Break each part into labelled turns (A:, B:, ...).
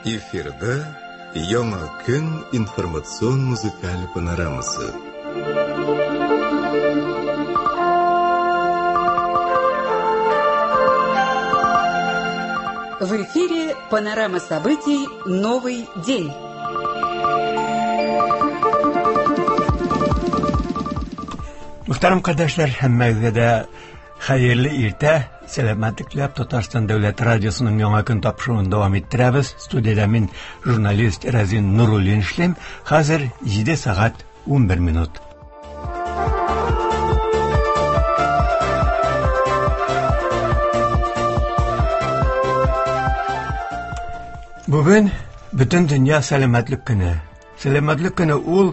A: Эфирда Яңа көн информацион музыкаль панорамасы.
B: В эфире панорама событий «Новый день».
C: Мөхтәрәм кардәшләр, һәммәгезгә дә хәерле иртә, сәламәтлек теләп Татарстан дәүләт радиосының яңа көн тапшыруын дәвам иттерәбез. Студиядә мин журналист Разин Нуруллин эшлим. Хәзер 7 сәгать 11 минут. Бүген бөтен дөнья сәламәтлек көне. Сәламәтлек көне ул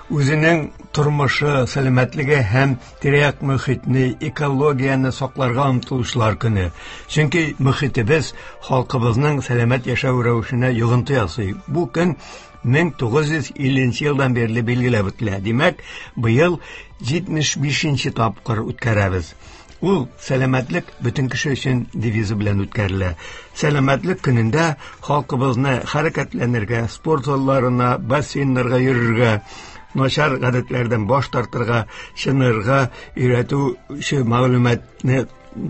C: үзенең тормышы, сәламәтлеге һәм тирә-як мөхитне, экологияне сакларга омтылучылар көне. Чөнки мөхитебез халкыбызның сәламәт яшәү рәвешенә йогынты ясый. Бу көн 1950 елдан бирле билгеләп үтелә. Димәк, быел 75 тапкыр үткәрәбез. Ул сәламәтлек бөтен кеше өчен девизы белән үткәрелә. Сәламәтлек көнендә халкыбызны хәрәкәтләнергә, спорт залларына, бассейннарга йөрергә, начар гадәтләрдән баш тартырга, чынырга өйрәтүче мәгълүматны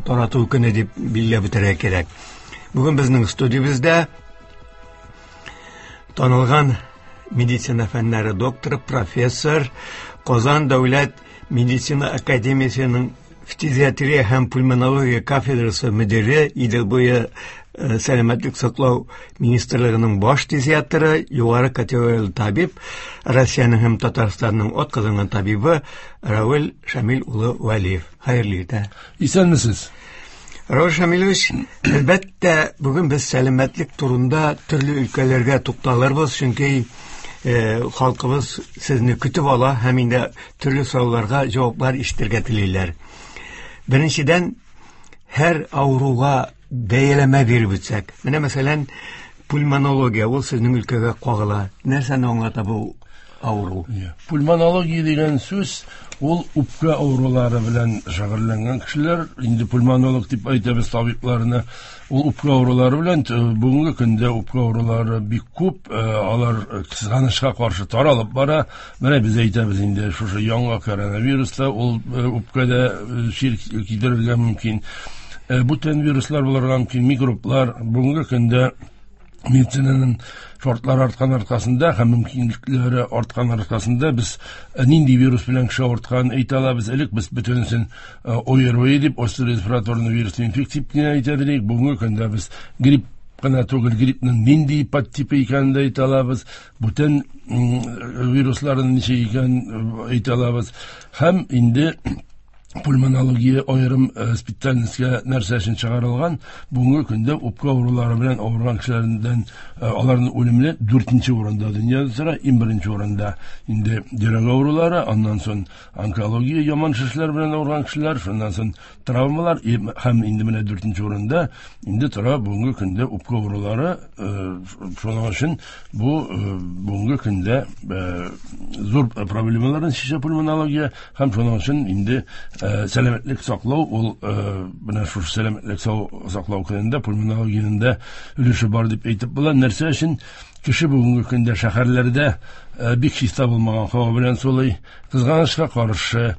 C: тарату көне дип билгеләп үтәргә кирәк. Бүген безнең студиябездә танылган медицина фәннәре докторы, профессор, Казан дәүләт медицина академиясенең фтизиатрия һәм пульмонология кафедрасы мөдире, Идел буе сәламәтлек саклау министрлыгының баш фтизиатры, югары категорияле табиб, Россиянең һәм Татарстанның атказанган табибы Равил Шамил улы Вәлиев. Хәерле иртә.
D: Исәнмесез.
C: Равил Шамилович, әлбәттә, бүген без сәламәтлек турында төрле өлкәләргә тукталырбыз, чөнки халкыбыз сезне көтеп ала һәм инде төрле сорауларга җаваплар ишетергә телиләр. Беренчедән, һәр авыруга бәяләмә биреп үтсәк. Менә мәсәлән, пульмонология, ул сезнең өлкәгә кагыла. Нәрсәне аңлата бу авыру?
D: Пульмонология дигән сүз ул үпкә авырулары белән шөгыльләнгән кешеләр, инде пульмонолог дип әйтәбез табибларны. Ул үпкә авырулары белән бүгенге көндә үпкә авырулары бик күп, алар кызганычка каршы таралып бара. Менә без әйтәбез инде, шушы яңа коронавирус та ул үпкәдә чир китерергә мөмкин. Бүтән вируслар булырга мөмкин, микроблар. Бүгенге көндә медицинаның шартлары арткан аркасында һәм мөмкинлекләре арткан аркасында без нинди вирус белән кеше авыртканын әйтә алабыз. Элек без бөтенесен ОРВИ дип, острый респираторный вирусный инфекция дип кенә әйтә идек. Бүгенге көндә без грипп кына түгел, гриппның нинди подтипы икәнен дә әйтә алабыз, бүтән вирусларның ничек икәнен әйтә алабыз. Һәм инде пульмонология аерым специальностька нәрсә өчен чыгарылган, бүгенге көндә үпкә авырулары белән авырган кешеләрдән аларның үлемле 4-нче урында дөньяда тора, иң беренче урында инде йөрәк авырулары, аннан соң онкология яман шешләр белән авырган кешеләр, шуннан соң травмалар һәм инде менә 4-нче урында инде тора бүгенге көндә үпкә авырулары. Шуның өчен бу бүгенге көндә зур проблемаларны чишә пульмонология. Һәм шуның өчен инде сәламәтлек саклау ул менә шушы сәламәтлек саклау көнендә пульмонологиянең дә өлеше бар дип әйтеп була. Нәрсә өчен кеше бүгенге көндә шәһәрләрдә бик чиста булмаган һава белән сулый. Кызганычка каршы,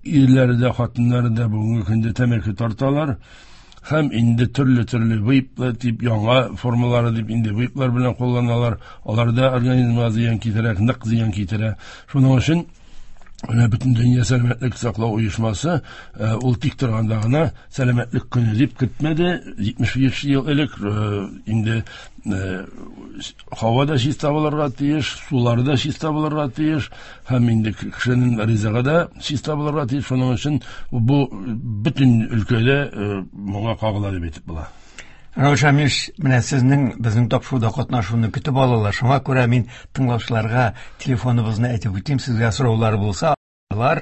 D: ирләре дә, хатыннары да бүгенге көндә тәмәке тарталар. Һәм инде төрле-төрле вейплар дип, яңа формалары дип инде вейплар белән кулланалар. Алар да организмга зыян китерә, нык зыян китерә. Шуның өчен менә бөтен дөнья сәламәтлек саклау оешмасы ул тик торганда гына сәламәтлек көне дип кертмәде. 75 ел элек инде һава да чиста булырга тиеш, сулар да чиста булырга тиеш, һәм инде кешенең ризыгы да чиста булырга тиеш. Шуның өчен бу бөтен өлкәдә моңа кагыла дип әйтеп була.
C: Равил Шамилович, менә сезнең безнең тапшыруда катнашуны көтеп алалар. Шуңа күрә мин тыңлаучыларга телефоныбызны әйтеп үтим. Сезгә сораулар булса, алар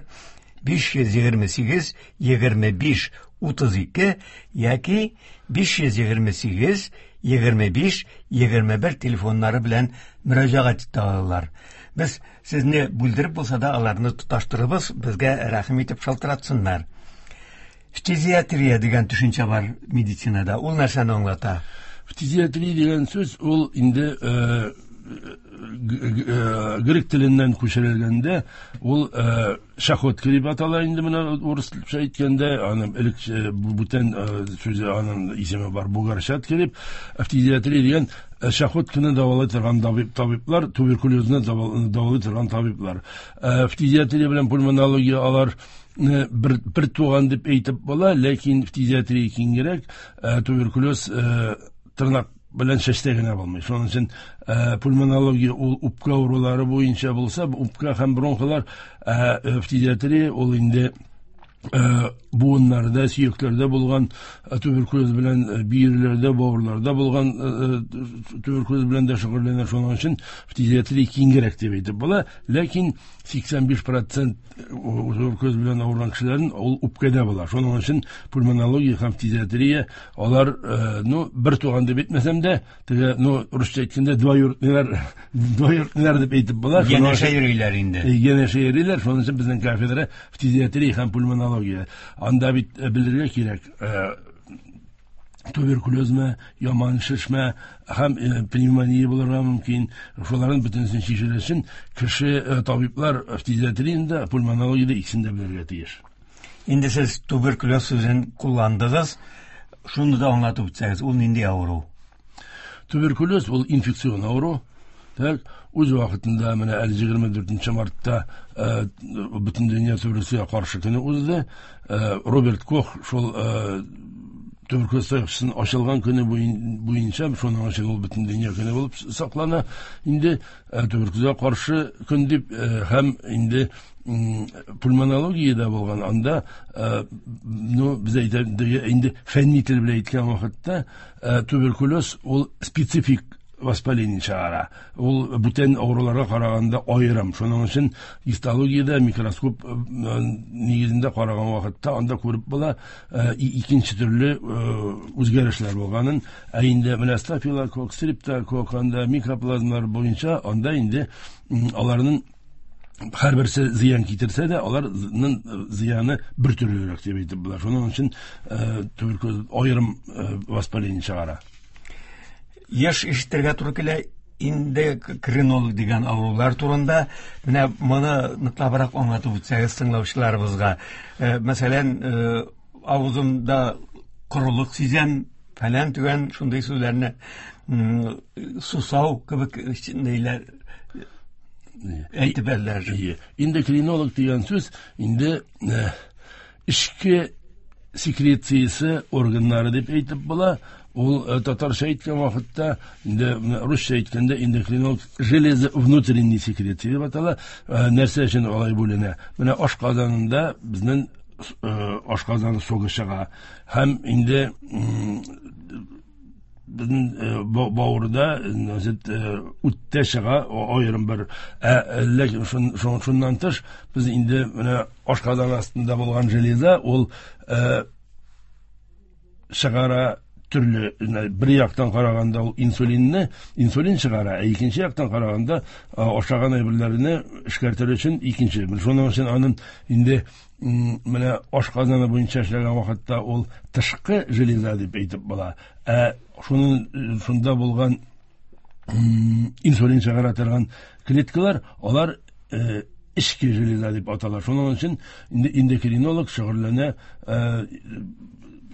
C: 528 25 32 яки 528 25 21 телефоннары белән мөрәҗәгать итә алалар. Без сезне бүлдереп булса да аларны тоташтырыбыз, безгә рәхим итеп шалтыратсыннар. Фтизиатрия дигән төшенчә бар медицинада. Ул нәрсәне аңлата?
D: Фтизиатрия дигән сүз ул инде грек теленнән күчерелгәндә ул чахотка дип атала инде менә урысча әйткәндә, аның элек бүтән сүзе, аның исеме бар, бугорчатка дип. Фтизиатрия дигән чахотканы дәвалый торган табиблар, туберкулезны дәвалый торган табиблар. Фтизиатрия белән пульмонология алар бер туган дип әйтеп була, ләкин фтизиатрия киңрәк, туберкулез тырнак белән чәчтә генә булмый. Шуның өчен пульмонология ул үпкә авырулары буенча булса, үпкә һәм бронхлар, фтизиатрия ул инде буыннарда, сөякләрдә булган туберкулез белән, бөерләрдә, бавырларда булган туберкулез белән дә шөгыльләнә. Шуның өчен фтизиатрия киңрәк дип әйтеп була, ләкин 85% туберкулез белән авырган кешеләрнең ул үпкәдә була. Шуның өчен пульмонология һәм фтизиатрия алар, ну, бер туган дип әйтмәсәм дә, теге, ну, русча әйткәндә, двоюродныйлар дип әйтеп була.
C: Янәшә йөриләр инде.
D: Янәшә йөриләр. Шуның өчен безнең кафедра фтизиатрия һәм пульмонология. Анда бит белергә кирәк, туберкулезме, яман шешмә һәм пневмония булырга мөмкин. Шуларның бөтенесен чишер өчен кеше табиблар фтизиатрияндә, пульмонологиядә икесен дә белергә тиеш.
C: Инде сез туберкулез сүзен кулландыгыз. Шуны да аңлатып үтсәгез, ул нинди авыру?
D: Туберкулез ул инфекцион авыру. Так, үз вакытында менә әле 24 мартта бөтен дөнья туберкулезга каршы көне узды. Роберт Кох шул туберкулез таякчысын ачылган көне буенча, шуның өчен ул бөтен дөнья көне булып саклана. Инде туберкулезга каршы көн дип, һәм инде пульмонологиядә булган анда, ну, без әйтә, инде фәнни тел белән әйткән вакытта, туберкулез ул специфик воспаление чыгара. Ул бүтән авыруларга караганда аерым. Шуның өчен гистологиядә микроскоп нигезендә караган вакытта анда күреп була икенче төрле үзгәрешләр булганын. Ә инде менә стафилококк, стрептококк, анда микроплазмалар буенча анда инде аларның һәрберсе зыян китерсә дә, аларның зыяны бер төрлерәк дип әйтеп була. Шуның өчен туберкулез аерым воспаление чыгара.
C: Еш ишетергә туры килә эндокринолог дигән авырулар турында. Менә моны ныклабрак аңлатып үтсәгез тыңлаучыларыбызга. Мәсәлән, авызымда корылык сизәм, фәлән төгән шундый сүзләрне, сусау кебек ниләр әйтеп бәрделәр.
D: Эндокринолог дигән сүз инде эчке секрециясе органнары дип әйтеп була. Ул татарча әйткән вакытта, инде русча әйткәндә эндокринолог железо внутренней секреции дип атала. Нәрсә өчен алай бүленә? Менә ашказанында безнең ашказаны согы чыга. Һәм инде безнең бавырда, үттә чыга аерым бер. Ләкин шуннан тыш без инде менә ашказан астында булган железа ул чыгара төрле, бер яктан караганда ул инсулин чыгара, ә икенче яктан караганда ашаган әйберләрне эшкәртер өчен икенче. Шуның өчен аның инде менә ашказаны буенча эшләгән вакытта ул тышкы железа дип әйтеп була. Ә шунда булган инсулин чыгара торган клеткалар, алар эчке железа дип атала. Шуның өчен инде эндокринолог шөгыльләнә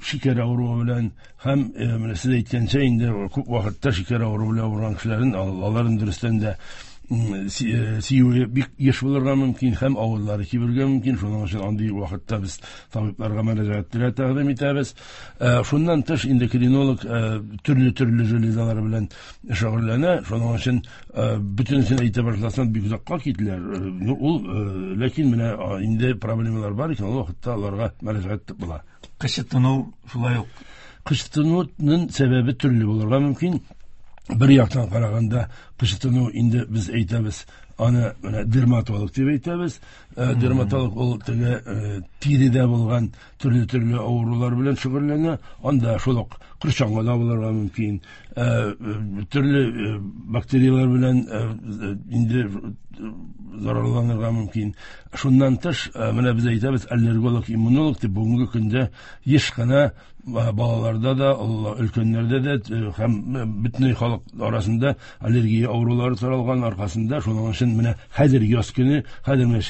D: шикәр авыруы белән һәм менә сез әйткәнчә инде күп вакытта шикәр авыруы белән авырган кешеләрнең аларын дөрестән дә сөюе бик еш булырга мөмкин һәм авызлары кибергә мөмкин. Шуның өчен андый вакытта без табибларга мөрәҗәгать тәкъдим итәбез. Шуннан тыш эндокринолог төрле-төрле железалар белән шөгыльләнә. Шуның өчен бөтенесен әйтә башласаң бик озакка китәләр. Ул, ләкин менә инде проблемалар бар икән, ул вакытта аларга мөрәҗәгать була.
C: Кычытыну шулай ук.
D: Кычытынуның сәбәбе төрле булырга мөмкин. Бер яктан караганда кычытыну инде без әйтәбез, аны менә дерматолог дип әйтәбез. Дерматолог ул теге тиредә булган төрле-төрле авырулар белән шөгыльләнә. Анда шул ук Корчаңгы да булырга мөмкин. Төрле бактерияләр белән инде зарарланырга мөмкин. Шуннан тыш, менә без әйтәбез, аллерголог, иммунолог дип, бүгенге көндә еш кына балаларда да, өлкәннәрдә дә һәм бөтенләй халык арасында аллергия авырулары таралган аркасында, шуның өчен менә хәзер яз көне, хәзер менә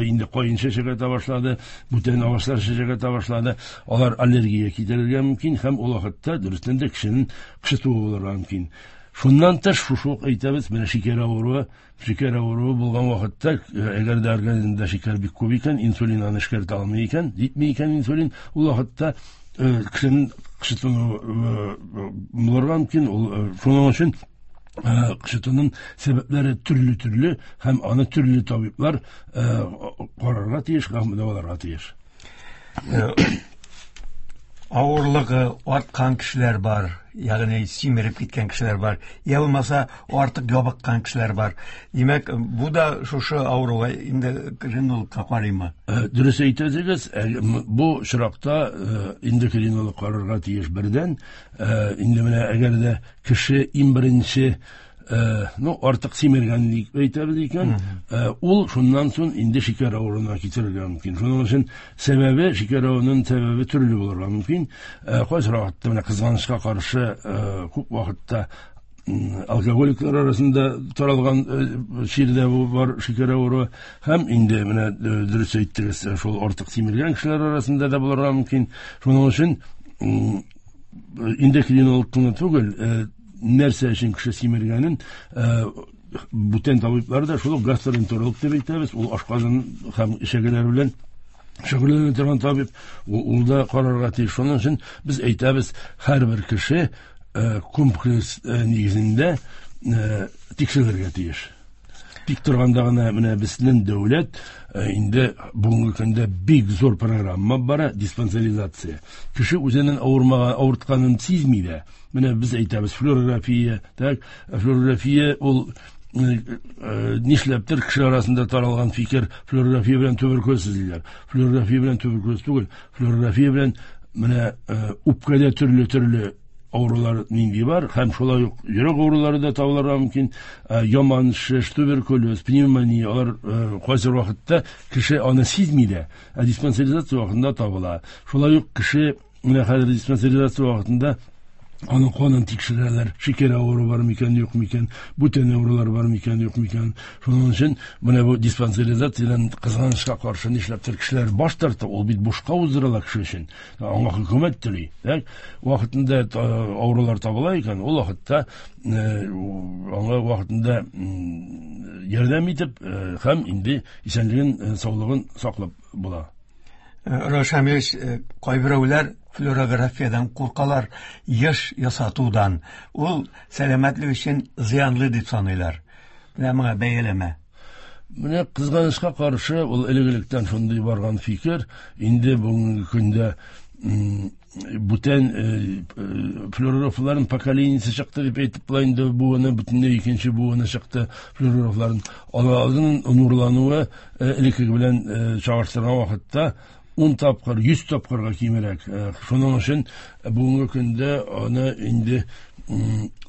D: инде каен чәчәк ата башлады, бүтән агачлар чәчәк ата башлады, алар аллергия китерергә мөмкин һәм ул вакытта дөрестән дә кешенең кычытуы булырга мөмкин. Шуннан тыш, шушы ук әйтәбез, менә шикәр авыруы, шикәр авыруы булган вакытта, әгәр дә организмда шикәр бик күп икән, инсулин аны эшкәртә алмый икән, җитми икән инсулин, ул вакытта кешенең кычытуы булырга мөмкин. Ул шуның өчен кычытуның сәбәпләре төрле-төрле һәм аны төрле табиблар карарга тиеш һәм дәваларга тиеш.
C: Авырлыгы арткан кешеләр бар, ягъни симереп киткән кешеләр бар, я булмаса артык ябыккан кешеләр бар. Димәк, бу да шушы авыруга эндокринологка карыймы?
D: Дөрес әйтәсегез, бу очракта эндокринолог карарга тиеш бердән. Инде менә әгәр дә кеше иң беренче, ну, артык симергән дип әйтәбез икән, ул шуннан соң инде шикәр авыруына китерергә мөмкин. Шуның өчен сәбәбе, шикәр авыруының сәбәбе төрле булырга мөмкин. Кайсы вакытта менә кызганычка каршы, күп вакытта алкоголиклар арасында таралган чир дә бу бар, шикәр авыруы, һәм инде менә дөрес әйттегез, шул артык симергән кешеләр арасында да булырга мөмкин. Шуның өчен эндокринолог кына түгел, нәрсә өчен кеше симергәнен бүтән табиблар да, шул ук гастроэнтеролог дип әйтәбез, ул ашказан һәм эчәгеләр белән шөгыльләнә торган табиб, ул да карарга тиеш. Шуның өчен без әйтәбез, һәрбер кеше комплекс нигезендә тикшерелергә тиеш. Тик торганда гына менә безнең дәүләт инде бүгенге көндә бик зур программа бара, диспансеризация. Кеше үзенең авырмаган, авыртканын сизми дә. Менә без әйтәбез, флюорография, так, флюорография ул нишләптер кеше арасында таралган фикер, флюорография белән туберкулез диләр. Флюорография белән туберкулез түгел, флюорография белән менә үпкәдә төрле-төрле авырулар нинди бар, һәм шулай ук йөрәк авырулары да табылырга мөмкин, яман шеш, туберкулез, пневмония, алар кайсы вакытта кеше аны сизми дә, ә диспансеризация вакытында табыла. Шулай ук кеше менә хәзер диспансеризация вакытында аның канын тикшерәләр, шикәр авыруы бар микән, юк микән, бүтән авырулар бар микән, юк микән. Шуның өчен менә бу диспансеризациядән кызганычка каршы нишләптер кешеләр баш тарта, ул бит бушка уздырыла кеше өчен. Аңа хөкүмәт түли. Так, вакытында авырулар табыла икән, ул вакытта аңа вакытында ярдәм итеп һәм инде исәнлеген, саулыгын саклап була.
C: Равил Шамилевич, кайберәүләр флюорографиядән куркалар, еш ясатудан. Ул сәламәтлек өчен зыянлы дип саныйлар. Менә моңа бәяләмә.
D: Менә кызганычка каршы, ул элек-электән шундый барган фикер, инде бүгенге көндә бүтән флюорографларын поколениесе чыкты дип әйтеп була инде, буыны бөтенләй икенче буыны чыкты флюорографларын. Аларның нурлануы элеккеге белән чагыштырган вакытта 10 тапкыр, 100 тапкырга кимрәк. Шуның өчен бүгенге көндә аны инде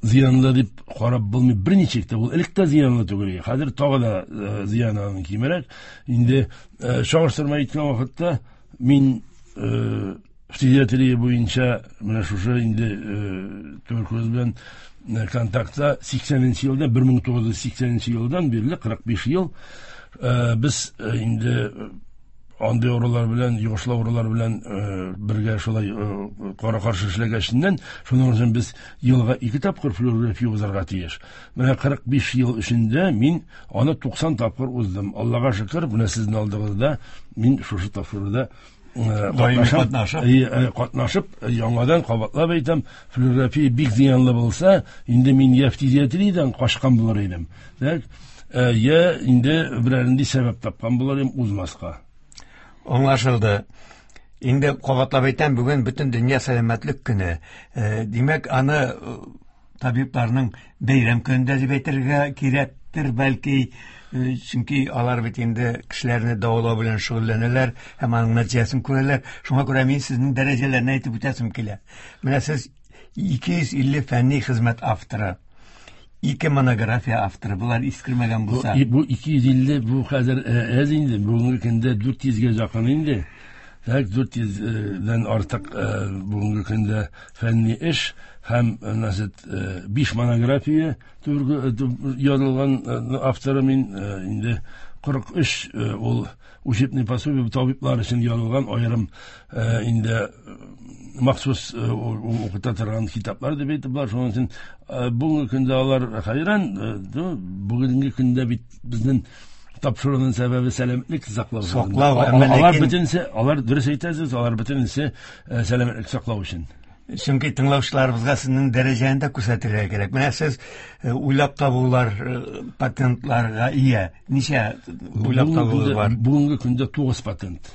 D: зыянлы дип карап булмый берничек тә. Ул элек тә зыянлы түгел, хәзер тагы да зыяны аның кимрәк. Инде чагыштырма әйткән вакытта мин фтизиатрия буенча менә шушы инде туберкулез белән контактта сиксәненче елда, бер мең тугыз йөз сиксәненче елдан бирле кырык биш ел без инде андый авырулар белән, йогышлы авырулар белән бергә шулай кара-каршы эшләгәченнән, шуның өчен без елга 2 тапкыр флюорография узарга тиеш. Менә кырык биш ел эчендә мин аны 90 тапкыр уздым. Аллага шөкер, менә сезнең алдыгызда мин шушы тапшыруда
C: Даими катнашып.
D: Катнашып, яңадан кабатлап әйтәм, флюорография бик зыянлы булса, инде мин я фтизиатриядән качкан булыр идем. Так, я инде берәр нинди сәбәп тапкан булыр идем узмаска.
C: Аңлашылды. Инде кабатлап әйтәм, бүген бөтен дөнья сәламәтлек көне. Димәк, аны табибларның бәйрәм көнендә дип әйтергә кирәктер, бәлки, чөнки алар бит инде кешеләрне дәвалау белән шөгыльләнәләр һәм аның нәтиҗәсен күрәләр. Шуңа күрә мин сезнең дәрәҗәләрне әйтеп үтәсем килә. Менә сез 250 фәнни хезмәт авторы. 2 монография авторы. Булар искермәгән булса.
D: Бу 250 бу хәзер әз инде. Бүгенге көндә 400гә якын инде. Так 400дән артык бүгенге көндә фәнни эш һәм значит 5 монография язылган авторы мин инде 43 ул учебный пособие табиблар өчен язылган аерым инде махсус укыта торган китаплар дип әйтеп бар. Шуның өчен бүгенге көндә алар хәйран, бүгенге көндә бит безнең тапшыруның сәбәбе сәламәтлек саклау.
C: Саклау,
D: алар бөтенесе, алар дөрес әйтәсез, алар бөтенесе сәламәтлек саклау өчен.
C: Чөнки тыңлаучыларыбызга сезнең дәрәҗәне дә күрсәтергә кирәк. Менә сез уйлап табулар, патентларга ия. Ничә уйлап табулар бар?
D: Бүгенге көндә 9 патент.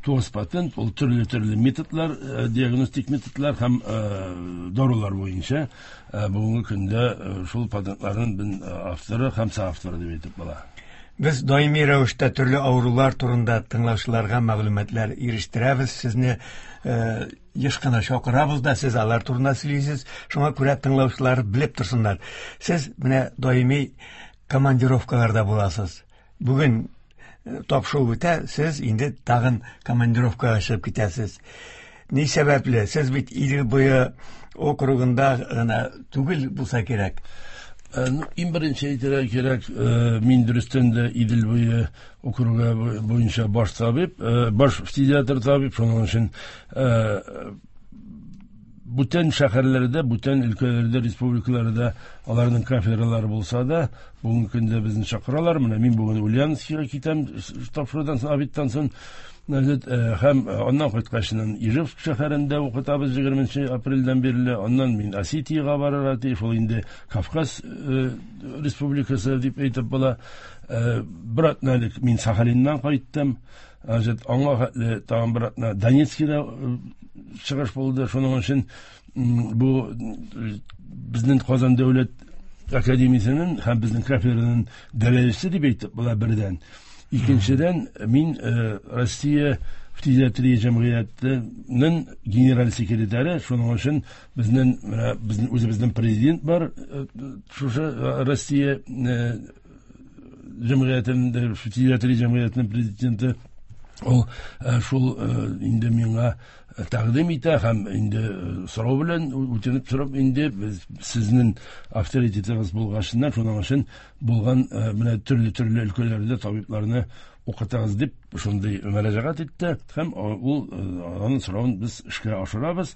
D: 9 патент, ул төрле-төрле методлар, диагностик методлар һәм дарулар буенча бүгенге көндә шул патентларның авторы һәм соавторы дип әйтеп була.
C: Без даими рәвештә төрле авырулар турында тыңлаучыларга мәгълүматлар ирештерәбез. Сезне еш кына чакырабыз да, сез алар турында сөйлисез. Шуңа күрә тыңлаучылар белеп торсыннар. Сез менә даими командировкаларда буласыз. Бүген тапшыру бетә, сез инде тагын командировкага чыгып китәсез. Ни сәбәпле? Сез бит Идел буе округында гына түгел булса кирәк.
D: Иң беренче әйтергә кирәк, мин дөрестән дә Идел буе округы буенча баш табиб, баш фтизиатр табиб, шуның өчен бүтән шәһәрләрдә, бүтән өлкәләрдә, республикаларда аларның кафедралары булса да, бүгенге көндә безне чакыралар. Менә мин бүген Ульяновскига китәм, тапшырудан соң, обедтан соң. Һәм аннан кайткачыннан Ижевск шәһәрендә укытабыз 20 апрельдән бирле. Аннан мин Осетиягә барырга тиеш, ул инде Кавказ республикасы дип әйтеп була. Бер атна элек мин Сахалиннан кайттым. Аңа хәтле тагын бер атна Донецкида чыгыш булды. Шуның өчен бу безнең Казан дәүләт академиясенең һәм безнең кафедраның дәрәҗәсе дип әйтеп була бердән. Икенчедән, мин Россия фтизиатрия җәмгыятенең генераль секретаре, шуның өчен безнең менә безнең үзебезнең президент бар, шушы Россия җәмгыятенең фтизиатрия җәмгыятенең президенты, ул шул инде миңа тәкъдим итә һәм инде сорау белән үтенеп сорап инде без сезнең авторитетыгыз булгачыннан шуның өчен булган менә төрле-төрле өлкәләрдә табибларны укытыгыз дип шундый мөрәҗәгать итте һәм ул аның соравын без эшкә ашырабыз.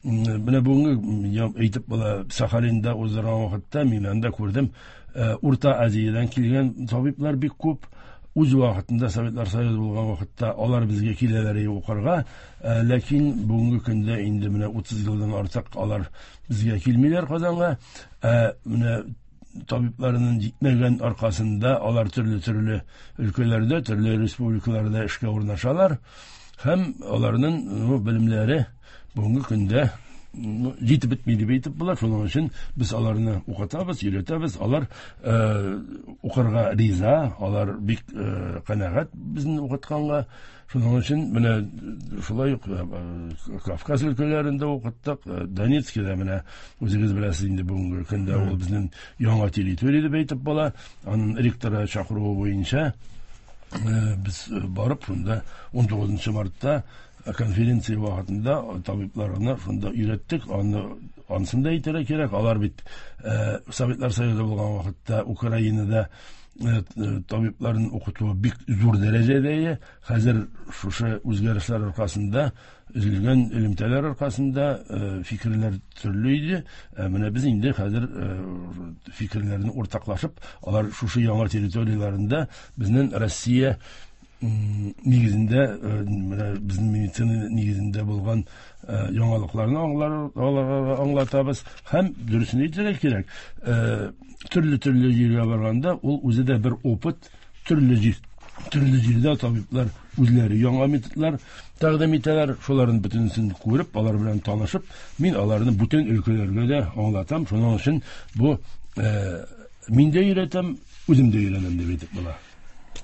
D: Менә бүгенге әйтеп була, Сахалинда уздырган вакытта мин анда күрдем, Урта Азиядән килгән табиблар бик күп. Үз вакытында Советлар Союзы булган вакытта алар безгә киләләр укырга, ләкин бүгенге көндә инде менә 30 елдан артык алар безгә килмиләр Казанга. Менә табибларының җитмәгән аркасында алар төрле-төрле өлкәләрдә, төрле республикаларда эшкә урнашалар һәм аларның белемнәре бүгенге көндә җитеп бетми дип әйтеп була. Шуның өчен без аларны укытабыз, өйрәтәбез. Алар укырга риза, алар бик канәгать безне укытканга. Шуның өчен менә шулай ук Кавказ өлкәләрендә укыттык, Донецкида менә үзегез беләсез инде бүгенге көндә ул безнең яңа территория дип әйтеп була. Аның ректоры чакыруы буенча без барып шунда 19 мартта конференция вакытында табибларны шунда өйрәттек. Аны анысын да әйтергә кирәк. Алар бит Советлар Союзы булган вакытта Украинада табибларын укыту бик зур дәрәҗәдә. Хәзер шушы үзгәрешләр аркасында, өзелгән элемтәләр аркасында фикерләр төрле иде. Менә без инде хәзер фикерләрне уртаклашып, алар шушы яңа территорияләрендә безнең Россия нигезендә, менә безнең медицина нигезендә булган яңалыкларны аларга аңлатабыз. Һәм дөресен әйтергә кирәк, төрле-төрле җиргә барганда ул үзе дә бер опыт, төрле җирдә табиблар үзләре яңа методлар тәкъдим итәләр. Шуларның бөтенесен күреп, алар белән танышып, мин аларны бүтән өлкәләргә дә аңлатам. Шуның өчен бу мин дә өйрәтәм, үзем дә өйрәнәм дип әйтеп була.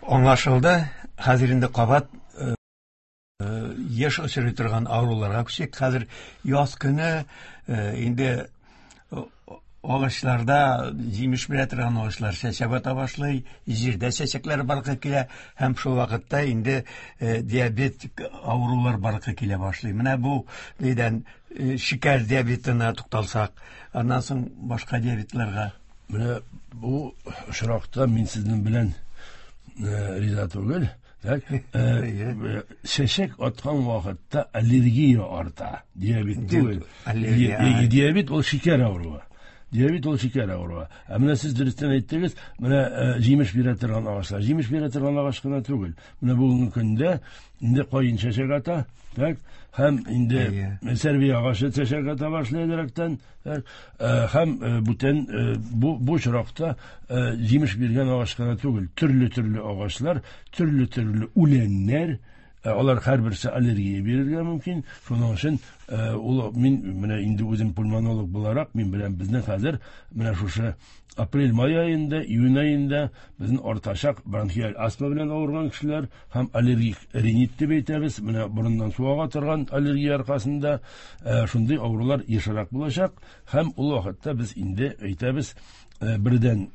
C: Аңлашылды. Хәзер инде кабат Еш очрый торган авыруларга күчик. Хәзер яз көне инде агачларда җимеш бирә торган агачлар чәчәк ата башлый, җирдә чәчәкләр барлыкка килә һәм шул вакытта инде диабетик авырулар барлыкка килә башлый. Менә бу нидән шикәр диабетына тукталсак, аннан соң башка диабетларга.
D: Менә бу очракта мин сезнең белән риза түгел. Так, чәчәк аткан вакытта аллергия арта. Диабет түгел. Диабет ул шикәр авыруы. Диабет ул шикәр авыруы. Ә менә сез дөрестән әйттегез, менә җимеш бирә торган агачлар. Җимеш бирә торган агач кына түгел. Менә бүгенге көндә инде каен чәчәк ата, так, һәм инде сәрви агачы чәчәк ата башлый директән, һәм бүтән бу очракта җимеш биргән агач кына түгел, төрле-төрле агачлар, төрле-төрле үләннәр, алар һәрберсе аллергия бирергә мөмкин. Шуның өчен ул мин менә инде үзем пульмонолог буларак, мин белән безнең хәзер менә шушы апрель-май аенда, июнь аенда безнең артачак бронхиаль астма белән авырган кешеләр һәм аллергик ринит дип әйтәбез, менә борыннан су ага торган аллергия аркасында шундый авырулар ешрак булачак. Һәм ул вакытта без инде әйтәбез, бердән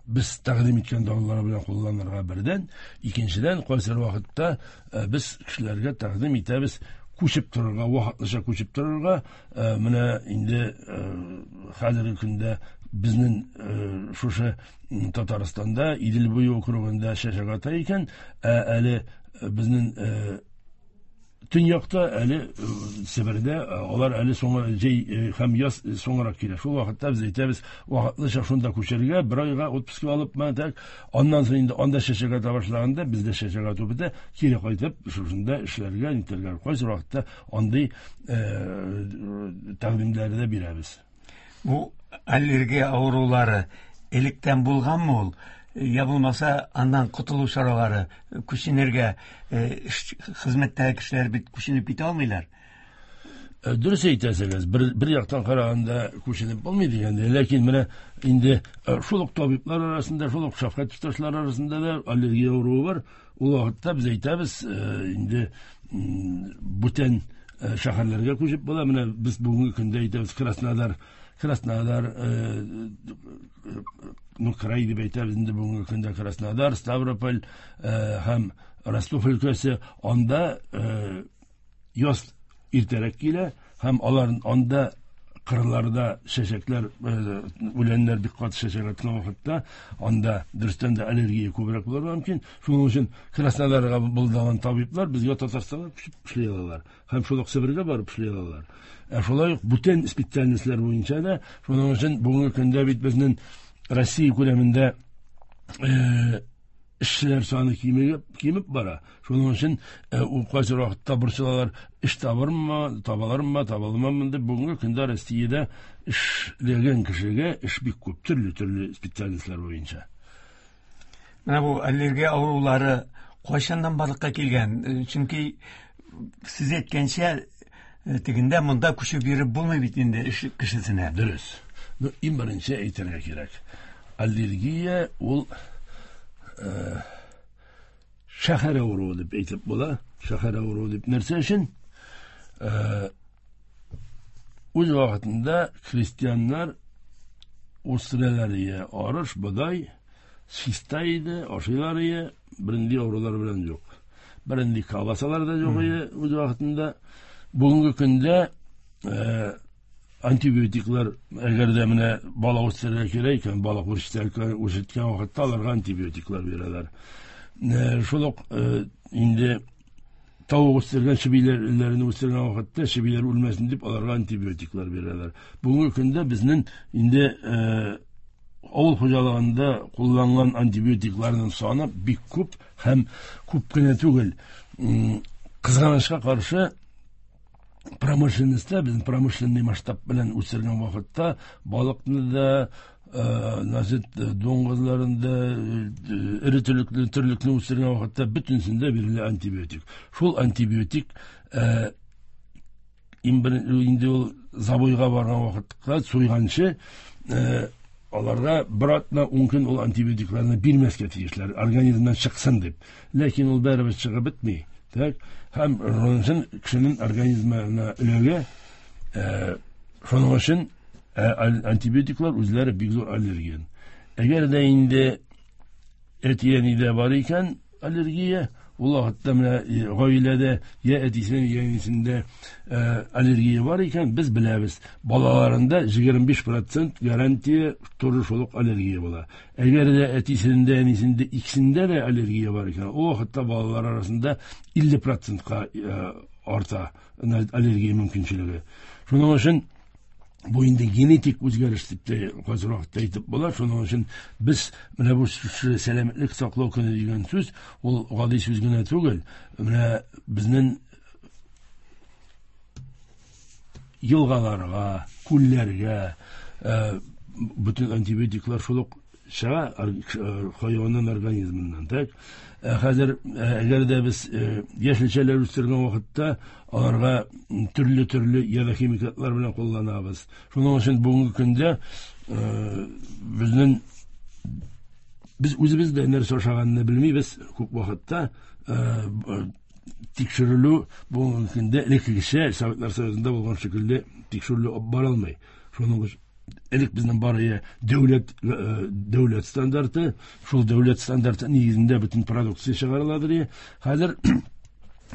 D: без тәкъдим иткән дарулар белән кулланырга бердән, икенчедән кайсы вакытта без кешеләргә тәкъдим итәбез күчеп торырга, вакытлыча күчеп торырга. Менә инде хәзерге көндә безнең шушы Татарстанда Идел буе округында чәчәк ата икән, әле безнең төньякта, әле Себердә, алар әле соңы җәй һәм яз соңрак килә. Шул вакытта без әйтәбез, вакытлыча шунда күчәргә, бер айга отпуск алып, так, аннан соң инде анда чәчәк ата башлаганда, бездә чәчәк ату бетә, кире кайтып, шушында эшләргә, нитәргә. Кайсы вакытта андый тәкъдимнәрне дә бирәбез.
C: Бу аллергия авырулары электән булганмы ул? Я булмаса, аннан котылу чаралары, күченергә, хезмәттәге кешеләр бит күченеп китә алмыйлар.
D: Дөрес әйтәсегез, бер яктан караганда күченеп булмый дигәндә, ләкин менә инде шул ук табиблар арасында, шул ук шәфкать туташлары арасында да аллергия авыруы бар. Ул вакытта без әйтәбез, инде бүтән шәһәрләргә күчеп була. Менә без бүгенге көндә әйтәбез, Краснодар, ну, край дип әйтәбез инде бүгенге көндә Краснодар, Ставрополь һәм Ростов өлкәсе, анда яз иртәрәк килә һәм алар анда кырларда чәчәкләр, үләннәр бик каты чәчәк аткан вакытта анда дөрестән дә аллергия күбрәк булырга мөмкин. Шуның өчен Краснодарга булган табиблар безгә Татарстанга күчеп эшли алалар һәм шул ук Себергә барып эшли алалар. Шулай ук бүтән специальностьлар буенча да, шуның өчен бүгенге көндә бит безнең Россия күләмендә эшчеләр саны кимеп бара. Шуның өчен ул кайсы вакытта борчылалар, эш табырмы, табалармы, таба алмаммы дип. Бүгенге көндә Россиядә эшләгән кешегә эш бик күп, төрле-төрле специальностьлар буенча.
C: Менә бу аллергия авырулары кайчаннан барлыкка килгән? Чөнки сез әйткәнчә, тегендә монда күчеп йөреп булмый бит инде эш кешесенә.
D: Дөрес. Ну, иң беренче әйтергә кирәк. Аллергия ул шәһәр авыруы дип әйтеп була. Шәһәр авыруы дип нәрсә өчен? Үз вакытында крестьяннар үстерәләр ие, арыш, бодай чиста иде, ашыйлар ие, бернинди авырулар белән юк. Бернинди колбасалар да юк ие үз вакытында. Бүгенге көндә антибиотиклар, әгәр дә менә бала үстерергә кирәк икән, бала үрчеткән вакытта аларга антибиотиклар бирәләр. Шул ук инде тавык үстергән, чебиләрне үстергән вакытта чебиләр үлмәсен дип аларга антибиотиклар бирәләр. Бүгенге көндә безнең инде авыл хуҗалыгында кулланган антибиотикларның саны бик күп һәм күп кенә түгел. Кызганычка каршы, промышленностьта, безнең промышленный масштаб белән үсергән вакытта балыкны да, дуңгызларын да, эре терлекне үстергән вакытта бөтенсендә бирелә антибиотик. Шул антибиотик инде ул забойга барган вакытта суйганчы аларга бер атна 10 көн ул антибиотикларны бирмәскә тиешләр, организмнан чыксын дип. Ләкин ул барыбер чыгып бетми. Так, һәм шуның өчен кешенең организмына эләгә. Шуның өчен антибиотиклар үзләре бик зур аллерген. Әгәр дә инде әти-әнидә бар икән аллергия, ул вакытта менә гаиләдә я әтисенең, я әнисендә аллергия бар икән, без беләбез, балаларында 25% гарантия тоже шул ук аллергия була. Әгәр дә әтисендә, әнисендә икесендә дә аллергия бар икән, ул вакытта балалар арасында 50%-ка арта аллергия мөмкинчелеге. Шуның өчен бу инде генетик үзгәреш дип тә кайсы вакытта әйтеп була. Шуның өчен без менә бу сәламәтлек саклау көне дигән сүз ул гади сүз генә түгел. Менә безнең елгаларга, күлләргә бөтен антибиотиклар шул ук чыга хайванның организмыннан. Так, хәзер әгәр дә без яшелчәләр үстергән вакытта аларга төрле-төрле ядохимикатлар белән кулланабыз. Шуның өчен бүгенге көндә безнең без үзебез дә нәрсә ашаганны белмибез күп вакытта. Тикшерелү бүгенге көндә элеккечә Советлар Союзында булган шикелле тикшерелү алып барылмый. Шуның өчен элек безнең бар дәүләт стандарты, шул дәүләт стандарты нигезендә бөтен продукция чыгарыладыр. Хәзер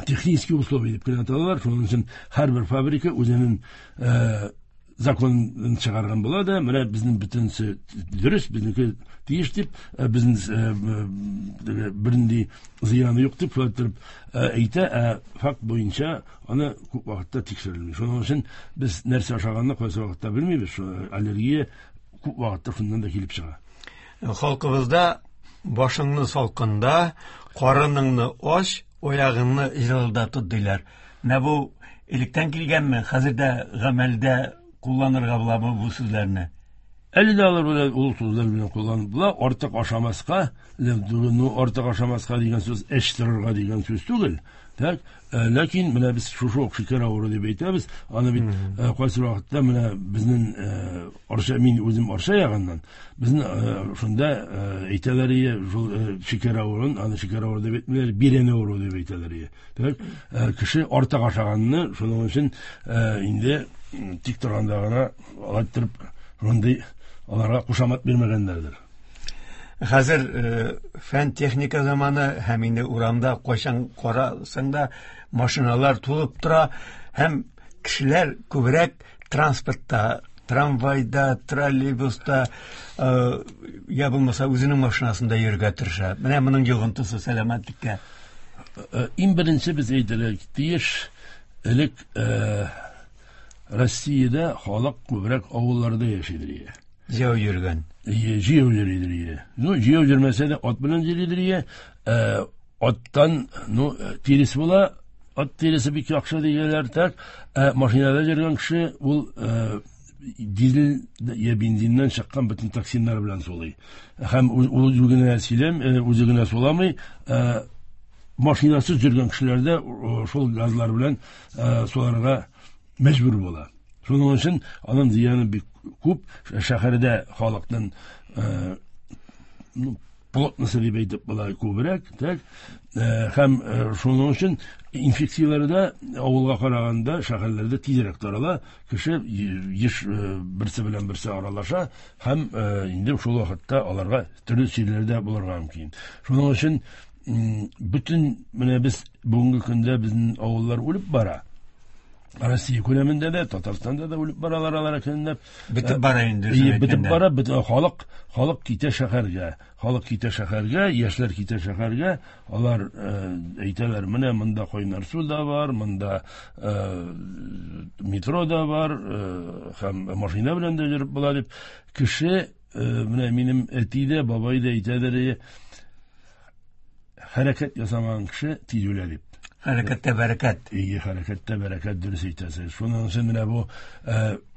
D: технические условия дип кенә аталалар. Шуның өчен һәрбер фабрика үзенең законын чыгарган була да, менә безнең бөтенесе дөрес, безнеке тиеш дип, безнең бернинди зыяны юк дип шулай итеп әйтә, ә факт буенча аны күп вакытта тикшерелми. Шуның өчен без нәрсә ашаганны кайсы вакытта белмибез, шул аллергия күп вакытта шуннан да килеп чыга.
C: Халкыбызда башыңны салкында, карыныңны ач, аягыңны җылыда тот диләр. Менә бу электән килгәнме, хәзер дә гамәлдә кулланырга буламы бу сүзләрне?
D: Әле дә алар белән ул сүзләр белән кулланып була. Артык ашамаска, ну, артык ашамаска дигән сүз эч торырга дигән сүз түгел. Так, ләкин менә без шушы ук шикәр авыруы дип әйтәбез. Аны бит кайсы вакытта менә безнең Арча, мин үзем Арча ягыннан, безнең шунда әйтәләр ие, шул шикәр авыруын, аны шикәр авыруы дип әйтмиләр, бирән авыруы дип әйтәләр ие. Так, кеше артык ашаганны, шуның өчен инде тик торганда гына алай иттереп шундый аларга кушамат бирмәгәннәрдер.
C: Хәзер фән техника заманы, һәм инде урамда кайчан карасаң да машиналар тулып тора, һәм кешеләр күбрәк транспортта, трамвайда, троллейбуста, я булмаса үзенең машинасында йөрергә тырыша. Менә моның йогынтысы сәламәтлеккә.
D: Иң беренче без әйтергә тиеш, элек Россиядә халык күбрәк авылларда яшидер иде.
C: Җәяү йөргән.
D: Җәяү йөридер иде. Ну, җәяү йөрмәсә дә ат белән йөридер иде. Аттан, ну, тирес була, ат тиресе бик яхшы дигәннәр, так. Машинада йөргән кеше ул дизель я бензиннән чыккан бөтен токсиннар белән сулый. Һәм ул үзе генә сөйләм, үзе генә суламый, машинасыз йөргән кешеләр дә шул газлар белән суларга мәҗбүр була. Шуның өчен аның зыяны бик күп. Шәһәрдә халыкның плотносы дип әйтеп була күбрәк, так. Һәм шуның өчен инфекцияләр дә авылга караганда шәһәрләрдә тизрәк тарала. Кеше еш берсе белән берсе аралаша һәм инде шул вакытта аларга төрле чирләр дә булырга мөмкин. Шуның өчен бөтен менә без бүгенге көндә безнең авыллар үлеп бара. Россия күләмендә дә, Татарстанда да үлеп баралар алар әкренләп.
C: Бетеп бара инде,
D: Бетеп бара, халык китә шәһәргә. Халык китә шәһәргә, яшьләр китә шәһәргә. Алар әйтәләр, менә монда кайнар су да бар, монда метро да бар, һәм машина белән дә йөреп була дип. Кеше, менә минем әти дә, бабай да әйтәләр, хәрәкәт ясамаган кеше тиз үлә дип.
C: Хәрәкәттә бәрәкәт.
D: Ие, хәрәкәттә бәрәкәт, дөрес әйтәсез. Шуның өчен менә бу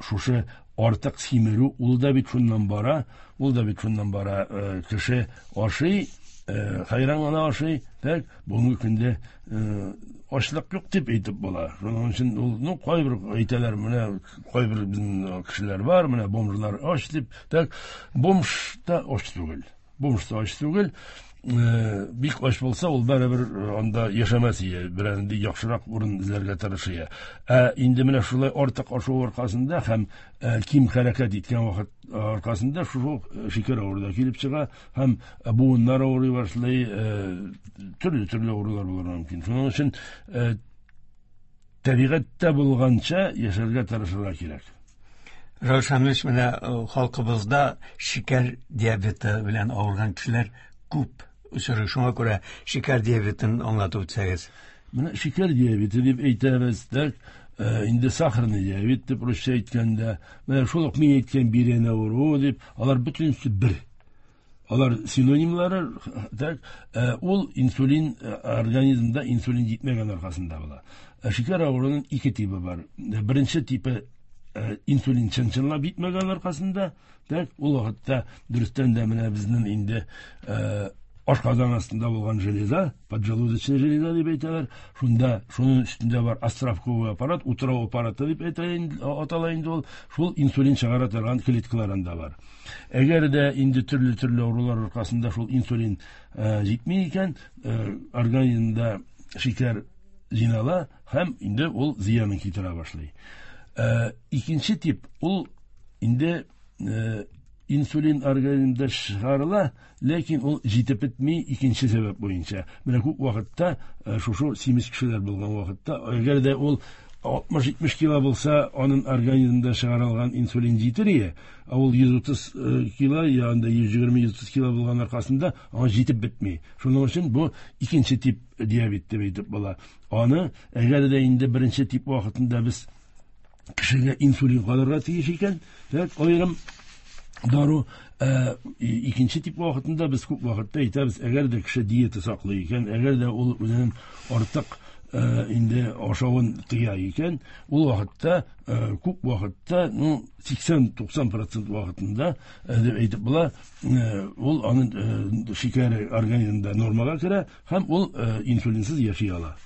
D: шушы артык симерү, ул да бит шуннан бара, ул да бит шуннан бара. Кеше ашый, хайран гына ашый, так, бүгенге көндә ачлык юк дип әйтеп була. Шуның өчен ул, ну, кайбер әйтәләр, менә кайбер безнең кешеләр бар, менә бомжлар ач дип, так, бомж та ач түгел. Бомж та ач түгел. Бик ач булса, ул барыбер анда яшәмәс ие, берәр яхшырак урын эзләргә тырышыр. Ә инде менә шулай артык ашау аркасында һәм ким хәрәкәт иткән вакыт аркасында шул шикәр авыруы да килеп чыга һәм буыннар авырый башлый, төрле-төрле авырулар булырга мөмкин. Шуның өчен табигатьтә булганча яшәргә тырышырга кирәк.
C: Раил Шамилович, менә халкыбызда шикәр диабеты белән авырган кешеләр күп очрый. Шуңа күрә шикәр диабетын аңлатып үтсәгез.
D: Менә шикәр диабеты дип әйтәбез, так, инде сахарный диабет дип русча әйткәндә, менә шул ук мин әйткән бирән авыруы дип, алар бөтенесе бер. Алар синонимлары, так, ул инсулин, организмда инсулин җитмәгән аркасында була. Шикәр авыруының ике тибы бар. Беренче типы инсулин чын-чынлап җитмәгән аркасында, так, ул вакытта дөрестән дә менә безнең инде ашказан астында булган железа, поджелудочная железа дип әйтәләр. Шунда, шуның өстендә бар островковый аппарат, утрау аппараты дип атала инде ул. Шул инсулин чыгара торган клеткалар анда бар. Әгәр дә инде төрле-төрле авырулар аркасында шул инсулин җитми икән, организмда шикәр җыйнала һәм инде ул зыянын китерә башлый. Икенче тип ул инде инсулин организмда чыгарыла, ләкин ул җитеп бетми икенче сәбәп буенча. Менә күп вакытта шушы симез кешеләр булган вакытта, әгәр дә ул 60-70 кило булса, аның организмда чыгарылган инсулин җитер ие, ә ул 130 кило, я анда 120-130 кило булган аркасында аңа җитеп бетми. Шуның өчен бу икенче тип диабет дип әйтеп була. Аны әгәр дә инде беренче тип вакытында без кешегә инсулин калырга тиеш икән, так, аерым дару, икенче тип вакытында без күп вакытта әйтәбез, әгәр дә кеше диета саклый икән, әгәр дә ул үзенең артык инде ашавын тыя икән, ул вакытта, күп вакытта, ну, 80-90% вакытында дип әйтеп була, ул аның шикәре организмда нормага керә һәм ул инсулинсыз яши ала.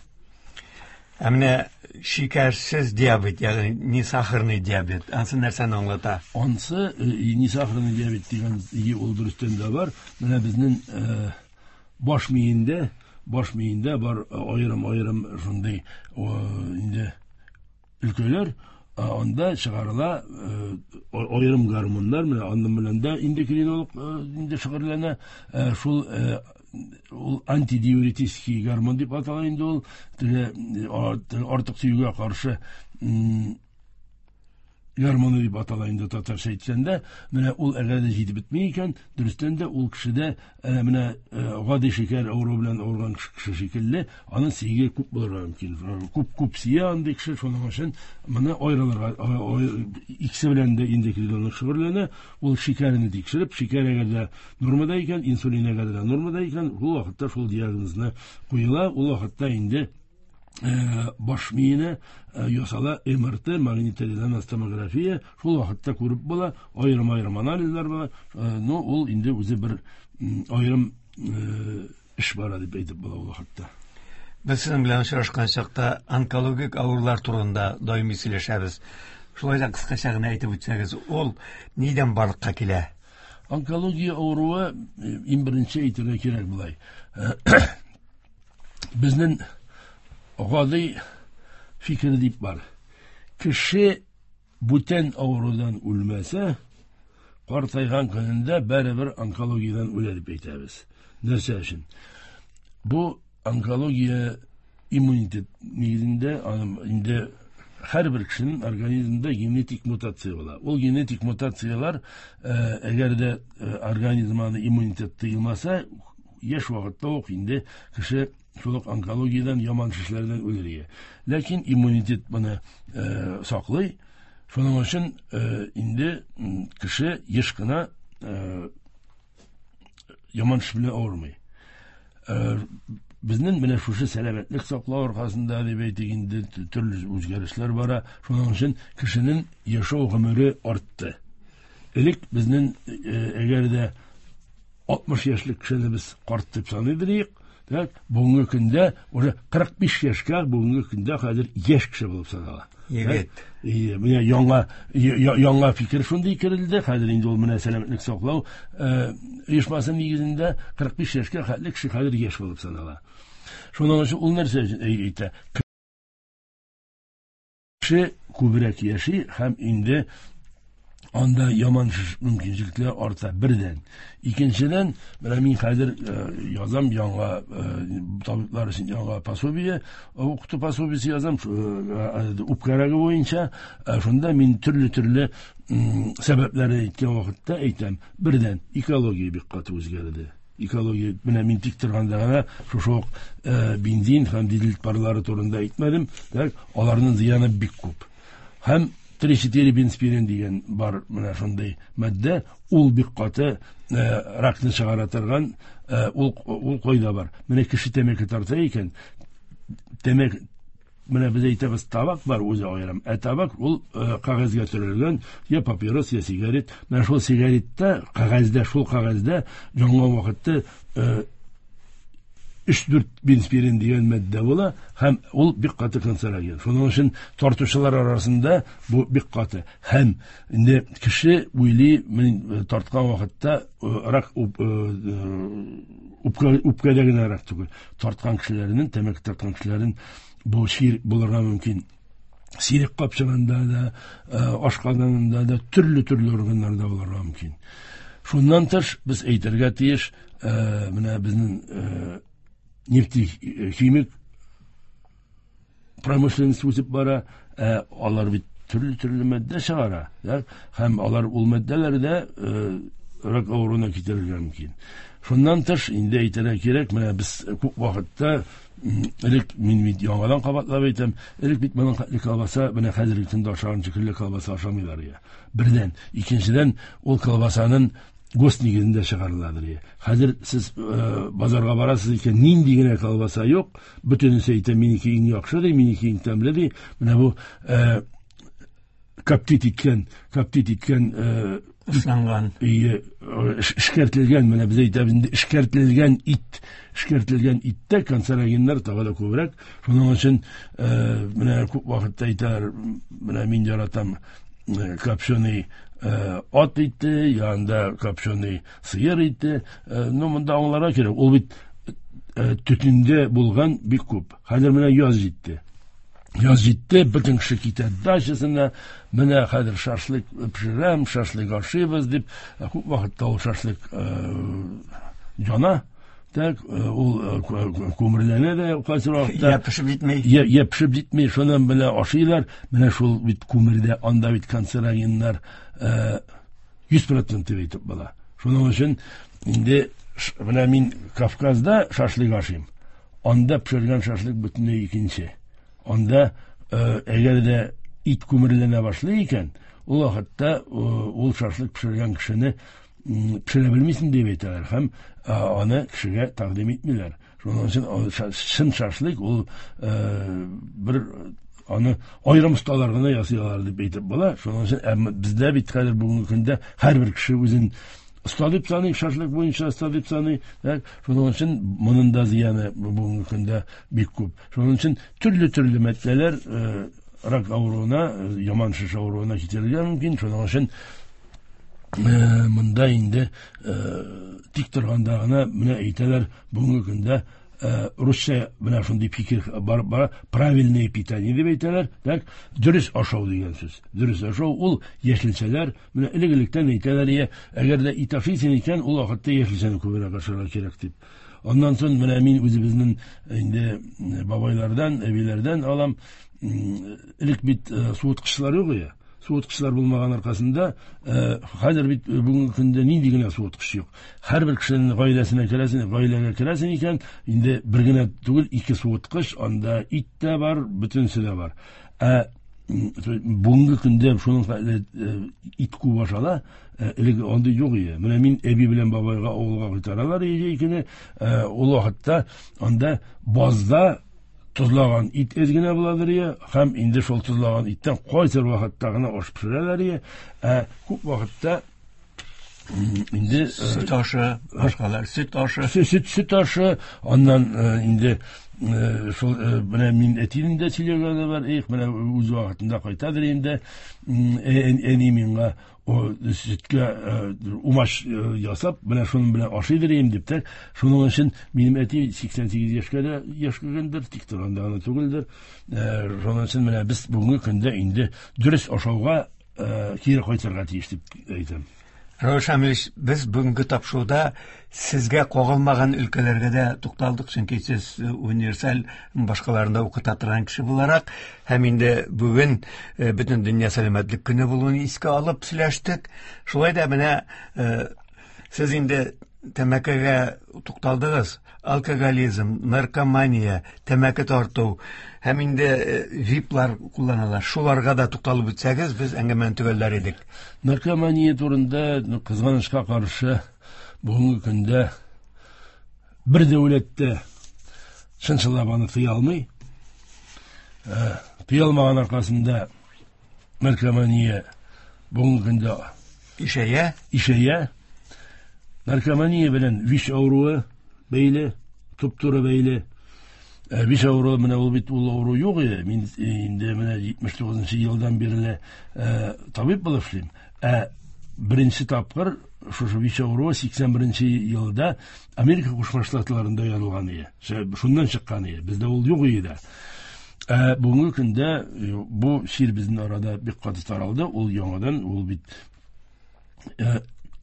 C: Ә менә шикәрсез диабет, ягъни несахарный диабет, ансы нәрсәне аңлата?
D: Ансы несахарный диабет дигән ул дөрестән дә бар. Менә безнең баш миендә бар аерым-аерым шундый инде өлкәләр, анда чыгарыла аерым гормоннар, менә аның белән дә эндокринолог инде шөгыльләнә, шул ул антидиуретический гормон дип атала инде ул, теге артык сөюгә каршы гормоны дип атала инде татарча әйткәндә. Менә ул әгәр дә җитеп бетми икән, дөрестән дә ул кешедә менә гади шикәр авыруы белән авырган кеше шикелле, аның сөяге күп булырга мөмкин. Күп-күп сөя андый кеше, шуның өчен моны аерылырга, икесе белән дә эндокринолог шөгыльләнә. Ул шикәрне тикшереп, шикәр әгәр дә нормада икән, инсулин әгәр дә нормада икән, ул вакытта шул диагнозны куела, ул вакытта инде баш миенә ясала МРТ, магниторезонанс томография, шул вакытта күреп була, аерым-аерым анализлар була, но ул инде үзе бер аерым эш бара дип әйтеп була ул вакытта.
C: Без сезнең белән очрашкан чакта онкологик авырулар турында даими сөйләшәбез. Шулай да кыскача гына әйтеп үтсәгез, ул нидән барлыкка килә?
D: Онкология авыруы, иң беренче әйтергә кирәк болай. Безнең гади фикер дип бар. Кеше бүтән авырудан үлмәсә, картайган көнендә барыбер онкологиядән үлә дип әйтәбез. Нәрсә өчен? Бу онкология иммунитет нигезендә, аның инде һәрбер кешенең организмында генетик мутация була. Ул генетик мутацияләр, әгәр дә организм аны иммунитет тыелмаса, яшь вакытта ук инде кеше шул ук онкологиядән, яман шешләрдән үлергә. Ләкин иммунитет моны саклый. Шуның өчен инде кеше еш кына яман шеш белән авырмый. Безнең менә шушы сәламәтлек саклау аркасында дип әйтик инде төрле үзгәрешләр бара. Шуның өчен кешенең яшәү гомере артты. Элек безнең әгәр дә 60 яшьлек кешене без карт дип саный идек, Так, бүгенге көндә уже 45 яшькә бүгенге көндә хәзер яшь кеше булып санала.
C: Егет.
D: Менә яңа фикер шундый керелде. Хәзер инде ул менә сәламәтлек саклау оешмасы нигезендә 45 яшькә хәтле кеше хәзер яшь булып санала. Шуның өчен ул нәрсә әйтә? Кеше күбрәк яши һәм инде анда яман шеш мөмкинчелекләр арта бердән. Икенчедән, менә мин хәзер язам яңа табиблар өчен яңа пособие, укыту пособиесе язам, үпкә рагы буенча. Шунда мин төрле-төрле сәбәпләрне әйткән вакытта әйтәм. Бердән, экология бик каты үзгәрде. Экология, менә мин тик торганда гына шушы ук бензин һәм дизель парлары турында әйтмәдем, так, аларның зыяны бик күп. Һәм 3,4 бензпирен дигән бар менә шундый матдә, ул бик каты ракны чыгара торган, ул кайда бар. Менә кеше тәмәке тарта икән, тәмәке, менә без әйтәбез, табак бар үзе аерым. Ә табак ул кәгазьгә төрелгән, я папирос, я сигарет. Менә шул сигаретта, кәгазьдә, шул кәгазьдә янган вакытта 3-4 бензпирен дигән матдә була һәм ул бик каты канцероген. Шуның өчен тартучылар арасында бу бик каты. Һәм инде кеше уйлый, мин тарткан вакытта рак үпкәдә генә рак түгел. Тарткан кешеләрнең, тәмәке тарткан кешеләрнең бу чир булырга мөмкин. Сирек капчыгында да, ашказанында да, төрле-төрле органнарда булырга мөмкин. Шуннан тыш без әйтергә тиеш, менә безнең нефтехимик промышленность үсеп бара, алар бит төрле-төрле матдә чыгара, һәм алар ул матдәләрдә рак авыруына китерергә мөмкин. Шуннан тыш инде әйтергә кирәк, менә без күп вакытта элек мин бит яңадан кабатлап әйтәм, элек бит моның хәтле колбаса, менә хәзерге көндә ашаган шикелле колбаса ашамыйлар я. Бердән, икенчедән, ул колбасаның ГОСТ нигезендә чыгарыладыр. Хәзер сез базарга барасыз икән, нинди генә колбаса юк, бөтенесе әйтә, минеке иң яхшы ди, минеке иң тәмле ди. Менә бу коптит иткән,
C: исланган,
D: эшкәртелгән, менә без әйтәбез инде, эшкәртелгән ит, эшкәртелгән иттә канцерогеннар тагы да күбрәк. Шуның өчен менә күп вакытта әйтәләр, менә мин яратам копченый ат ите, янында копченый сыер ите. Ну, монда аңларга кирәк, ул бит төтендә булган бик күп. Хәзер менә яз җитте. Яз җитте, бөтен кеше китә дачасына, менә хәзер шашлык пешерәм, шашлык ашыйбыз дип, күп вакытта ул шашлык яна, так, ул күмерләнә дә кайсы вакытта.
C: Я пешеп җитми.
D: Я пешеп җитми, шуннан менә ашыйлар, менә шул бит күмердә, анда бит канцерогеннар 100% дип әйтеп була. Шуның өчен инде менә мин Кавказда шашлык ашыйм. Анда пешергән шашлык бөтенләй икенче. Анда әгәр дә ит күмерләнә башлый икән, ул вакытта ул шашлык пешергән кешене пешерә белмисең дип әйтәләр һәм аны кешегә тәкъдим итмиләр. Шуның өчен чын шашлык ул бер аны аерым осталар гына ясыйлар дип әйтеп була. Шуның өчен бездә бит хәзер бүгенге көндә һәрбер кеше үзен оста дип саный, шашлык буенча оста дип саный. Шуның өчен моның да зыяны бүгенге көндә бик күп. Шуның өчен төрле-төрле матдәләр рак авыруына, яман шеш авыруына китерергә мөмкин. Шуның өчен монда инде тик торганда гына менә әйтәләр бүгенге көндә русча менә шундый фикер бар, бара, правильное питание дип әйтәләр. Так, дөрес ашау дигән сүз. Дөрес ашау ул яшелчәләр, менә элек-электән әйтәләр, әгәр дә ит ашыйсың икән, ул вакытта яшелчәне күбрәк ашарга кирәк дип. Аннан соң менә мин үзебезнең инде бабайлардан, әбиләрдән алам, элек бит суыткычлар юк иде. Суыткычлар булмаган аркасында, хәзер бит бүгенге көндә нинди генә суыткыч юк. Һәрбер кешенең гаиләсенә керәсең, гаиләгә керәсең икән, инде бер генә түгел, ике суыткыч, анда ит тә бар, бөтенесе дә бар. Ә бүгенге көндә шуның хәтле ит күп ашала, элек андый юк иде. Менә мин әби белән бабайга авылга кайтаралар иде икене, ул вакытта анда базда тозлаган ит әз генә буладыр ия, һәм инде шул тозлаган иттән кайсыр вакытта гына аш пешерәләр ия. Ә күп вакытта Инде
C: Сөт ашы, башкалар, сөт ашы.
D: Сөт ашы, аннан инде шул менә мин әтинең дә сөйләгәне бар, их, менә үз вакытында кайтадыр инде, әни миңа сөткә умач ясап, менә шуның белән ашыйдыр инде дип тә. Шуның өчен минем әти 88 яшькә дә яшь кергәндер, тик торганда гына түгелдер. Шуның өчен менә без бүгенге көндә инде дөрес ашауга кире кайтырга тиеш дип әйтәм.
C: Равил Шамилевич, без бүгенге тапшыруда сезгә кагылмаган өлкәләргә дә тукталдык, чөнки сез универсаль башкаларында укыта торган кеше буларак, һәм инде бүген бөтен дөнья сәламәтлек көне булуын искә алып сөйләштек. Шулай да менә сез инде тәмәкегә тукталдыгыз, алкоголизм, наркомания, тәмәке тарту һәм инде виплар кулланалар. Шуларга да тукталып үтсәгез, без әңгәмәне төгәлләр идек.
D: Наркомания турында, кызганычка каршы, бүгенге көндә бер дәүләттә чын-чынлап аны тыя алмый. Тыя алмаган аркасында наркомания бүгенге көндә
C: ишәя.
D: Ишәя. Наркомания белән ВИЧ авыруы бәйле, туп-туры бәйле. ВИЧ авыруы менә ул бит ул авыру юк иде. Мин инде менә 79 елдан бирле табиб булып эшлим. Ә беренче тапкыр шушы ВИЧ авыруы 81 елда Америка Кушма Штатларында язылган иде. Шуннан чыккан иде. Бездә ул юк иде. Ә бүгенге көндә бу чир безнең арада бик каты таралды. Ул яңадан, ул бит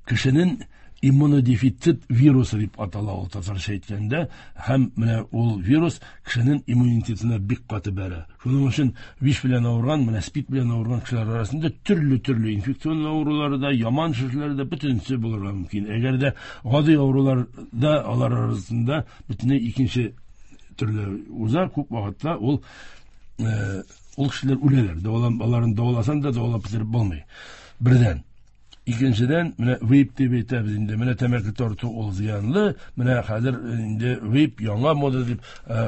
D: кешенең иммунодефицит вирусы дип атала ул татарча әйткәндә, һәм менә ул вирус кешенең иммунитетына бик каты бәрә. Шуның өчен ВИЧ белән авырган, менә СПИД белән авырган кешеләр арасында төрле-төрле инфекцион авырулары да, яман шешләр дә бөтенесе булырга мөмкин. Әгәр дә гади авырулар да алар арасында бөтенләй икенче төрле уза, күп вакытта ул кешеләр үләләр. Аларын дәваласаң да дәвалап бетереп булмый. Бердән. Икенчедән, менә вейп дип әйтәбез инде, менә тәмәке тарту ул зыянлы, менә хәзер инде вейп яңа мода дип,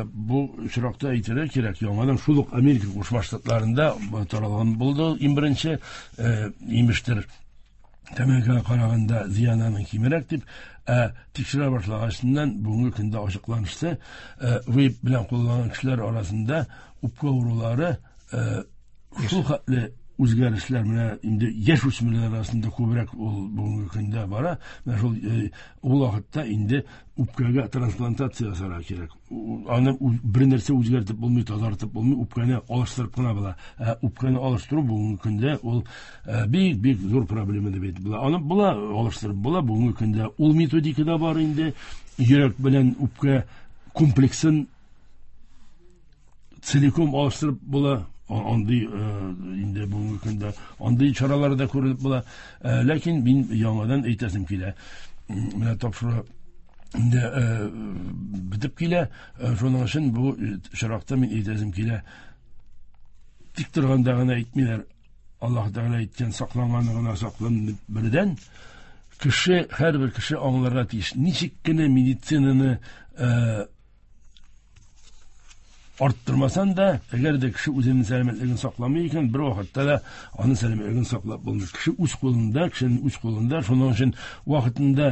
D: бу очракта әйтергә кирәк, яңадан шул ук Америка Кушма Штатларында таралган булды иң беренче, имештер, тәмәкегә караганда зыян аның кимрәк дип, тикшерә башлагачыннан бүгенге көндә ачыкланышты, вейп белән кулланган кешеләр арасында үпкә авырулары шул хәтле үзгәрешләр, менә инде яшь үсмерләр арасында күбрәк ул бүгенге көндә бара. Менә шул ул вакытта инде үпкәгә трансплантация ясарга кирәк. Аны бер нәрсә үзгәртеп булмый, тазартып булмый, үпкәне алыштырып кына була. Ә үпкәне алыштыру бүгенге көндә ул бик-бик зур проблема дип әйтеп була. Аны була, алыштырып була. Бүгенге көндә ул методика да бар инде. Йөрәк белән үпкә комплексын целиком алыштырып була. Андый инде бүгенге көндә андый чаралар да күрелеп була. Ләкин мин яңадан әйтәсем килә. Менә тапшыру инде бетеп килә. Шуның өчен бу очракта мин әйтәсем килә. Тик торганда гына әйтмиләр. Аллаһ Тәгалә әйткән сакланганы гына саклан дип бердән. Кеше, һәрбер кеше аңларга тиеш. Ничек кенә медицинаны арттырмасан да, әгәр дә кеше үзенең сәламәтлеген сакламый икән, бер вакытта да аның сәламәтлеген саклап булмый. Кеше үз кулында, кешенең үз кулында, шуның өчен вакытында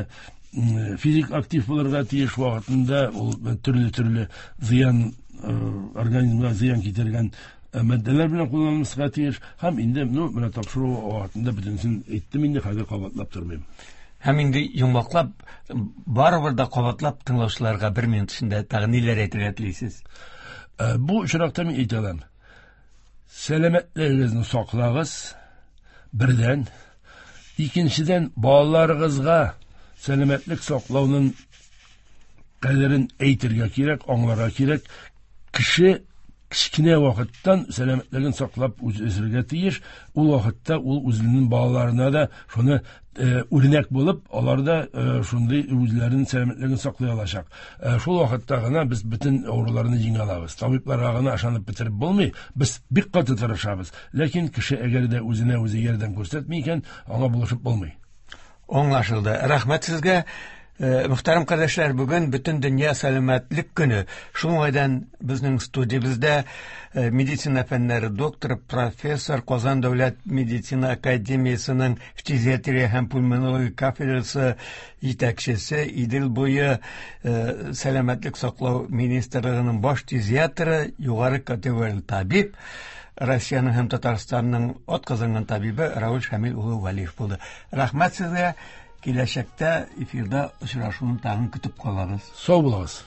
D: физик актив булырга тиеш, вакытында ул төрле-төрле зыян, организмга зыян китергән матдәләр белән кулланылмаска тиеш. Һәм инде, менә тапшыру вакытында бөтенесен әйттем инде, хәзер кабатлап тормыйм.
C: Һәм инде йомгаклап, барыбер дә кабатлап тыңлаучыларга бер минут эчендә тагын ниләр әйтергә телисез?
D: Бу очракта мин әйтә алам. Сәламәтлегегезне саклагыз, бердән. Икенчедән, балаларыгызга сәламәтлек саклауның кадерен әйтергә кирәк, аңларга кирәк. Кеше кечкенә вакыттан сәламәтлеген саклап үсергә тиеш. Ул вакытта ул үзенең балаларына да шуны үрнәк булып, алар да шундый үзләренең сәламәтлеген саклый алачак. Шул вакытта гына без бөтен авыруларны җиңә алабыз. Табибларга гына ышанып бетереп булмый. Без бик каты тырышабыз. Ләкин кеше әгәр дә үзенә үзе ярдәм күрсәтми икән, аңа булышып булмый.
C: Аңлашылды. Рәхмәт сезгә. Мөхтәрәм кардәшләр, бүген бөтен дөнья сәламәтлек көне. Шул уңайдан безнең студиябездә медицина фәннәре докторы, профессор, Казан дәүләт медицина академиясенең фтизиатрия һәм пульмонология кафедрасы җитәкчесе, Идел буе сәламәтлек саклау министрлыгының баш фтизиатры, югары категорияле табиб, Россиянең һәм Татарстанның атказанган табибы Рауль Шамил улы Вәлиев булды. Рәхмәт сезгә. Киләчәктә эфирда очрашуны тагын көтеп калабыз.
D: Сау булыгыз.